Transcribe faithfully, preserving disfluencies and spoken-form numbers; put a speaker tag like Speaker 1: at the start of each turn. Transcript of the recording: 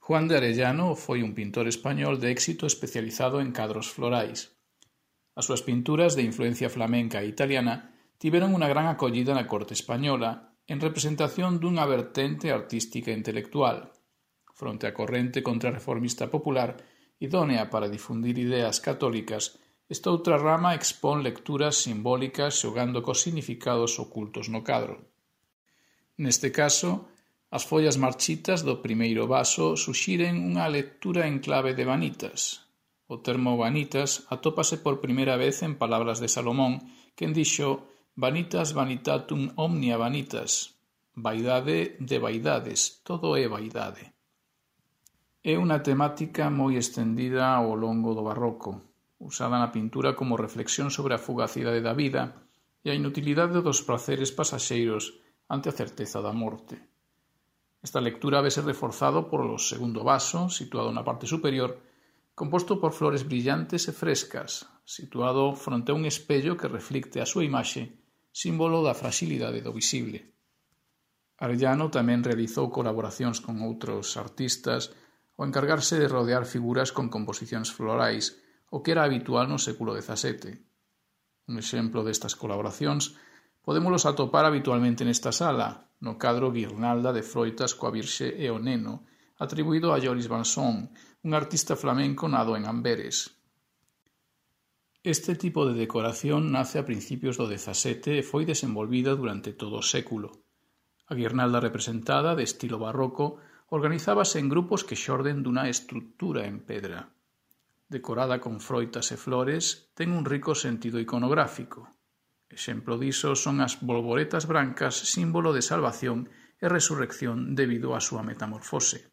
Speaker 1: Juan de Arellano foi un pintor español de éxito especializado en cadros florais. As súas pinturas de influencia flamenca e italiana tiveron unha gran acollida na corte española en representación dunha vertente artística e intelectual, fronte á corrente contrarreformista popular idónea para difundir ideas católicas. Esta outra rama expón lecturas simbólicas xogando cos significados ocultos no cadro. Neste caso, as follas marchitas do primeiro vaso suxiren unha lectura en clave de vanitas. O termo vanitas atópase por primeira vez en palabras de Salomón, quen dixo «Vanitas vanitatum omnia vanitas», vaidade de vaidades, todo é vaidade. É unha temática moi estendida ao longo do barroco, usada na pintura como reflexión sobre a fugacidade da vida e a inutilidade dos praceres pasaxeiros ante a certeza da morte. Esta lectura vese reforzado por o segundo vaso, situado na parte superior, composto por flores brillantes e frescas, situado fronte a un espello que reflicte a súa imaxe, símbolo da fragilidade do visible. Arellano tamén realizou colaboracións con outros artistas ao encargarse de rodear figuras con composicións florais, o que era habitual no século dezasete. Un exemplo destas colaboracións podémolos atopar habitualmente nesta sala, no cadro Guirnalda de froitas coa Virxe e o Neno, atribuído a Joris Vanson, un artista flamenco nado en Amberes. Este tipo de decoración nace a principios do dezasete e foi desenvolvida durante todo o século. A guirnalda representada, de estilo barroco, organizábase en grupos que xorden dunha estrutura en pedra. Decorada con froitas e flores, ten un rico sentido iconográfico. Exemplo diso son as bolboretas brancas, símbolo de salvación e resurrección debido á súa metamorfose.